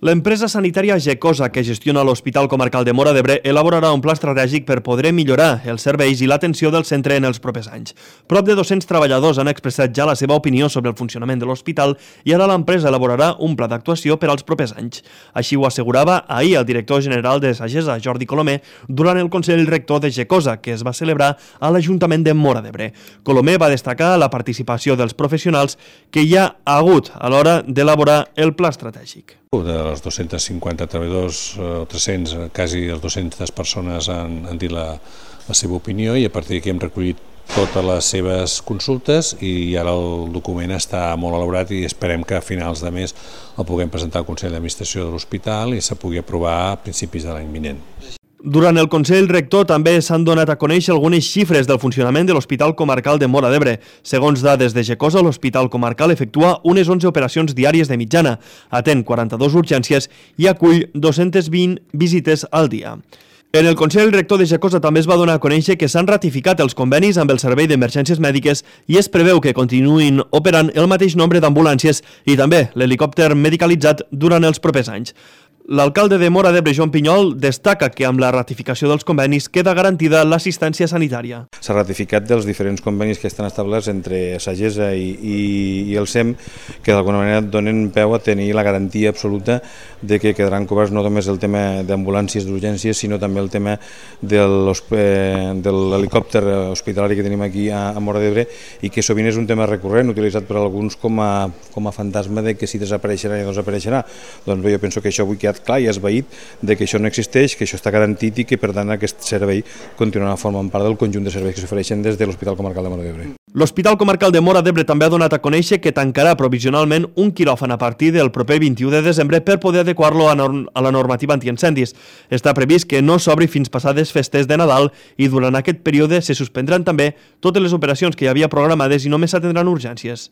L'empresa sanitària Gecosa, que gestiona l'Hospital Comarcal de Móra d'Ebre, elaborarà un pla estratègic per poder millorar els serveis i l'atenció del centre en els propers anys. Prop de 200 treballadors han expressat ja la seva opinió sobre el funcionament de l'hospital i ara l'empresa elaborarà un pla d'actuació per als propers anys. Així ho assegurava ahir el director general de Sagesa, Jordi Colomer, durant el Consell Rector de Gecosa, que es va celebrar a l'Ajuntament de Móra d'Ebre. Colomer va destacar la participació dels professionals que hi ha hagut a l'hora d'elaborar el pla estratègic. Dels 250 treballadors, 300, quasi 200 persones han dit la seva opinió i a partir d'aquí hem recollit totes les seves consultes i ara el document està molt elaborat i esperem que a finals de mes el puguem presentar al Consell d'Administració de l'Hospital i se pugui aprovar a principis de l'any vinent. Durant el Consell Rector també s'han donat a conèixer algunes xifres del funcionament de l'Hospital Comarcal de Móra d'Ebre. Segons dades de Gecosa, l'Hospital Comarcal efectua unes 11 operacions diàries de mitjana, atén 42 urgències i acull 220 visites al dia. En el Consell Rector de Gecosa també es va donar a conèixer que s'han ratificat els convenis amb el Servei d'Emergències Mèdiques i es preveu que continuïn operant el mateix nombre d'ambulàncies i també l'helicòpter medicalitzat durant els propers anys. L'alcalde de Móra d'Ebre, Joan Pinyol, destaca que amb la ratificació dels convenis queda garantida l'assistència sanitària. S'ha ratificat dels diferents convenis que estan establerts entre Sagesa i el SEM, que d'alguna manera donen peu a tenir la garantia absoluta de que quedaran coberts no només el tema d'ambulàncies d'urgències, sinó també el tema de l'helicòpter hospitalari que tenim aquí a Móra d'Ebre i que sovint és un tema recurrent, utilitzat per alguns com a fantasma de que si desapareixerà ja no desapareixerà. Doncs bé, jo penso que això avui queda clar i esvaït de que això no existeix, que això està garantit i que per tant aquest servei continuarà formant part del conjunt de serveis que s'ofereixen des de l'Hospital Comarcal de Móra d'Ebre. L'Hospital Comarcal de Móra d'Ebre també ha donat a conèixer que tancarà provisionalment un quiròfan a partir del proper 21 de desembre per poder adequar-lo a la normativa antiincendis. Està previst que no s'obri fins passades festes de Nadal i durant aquest període se suspendran també totes les operacions que hi havia programades i només s'atendran urgències.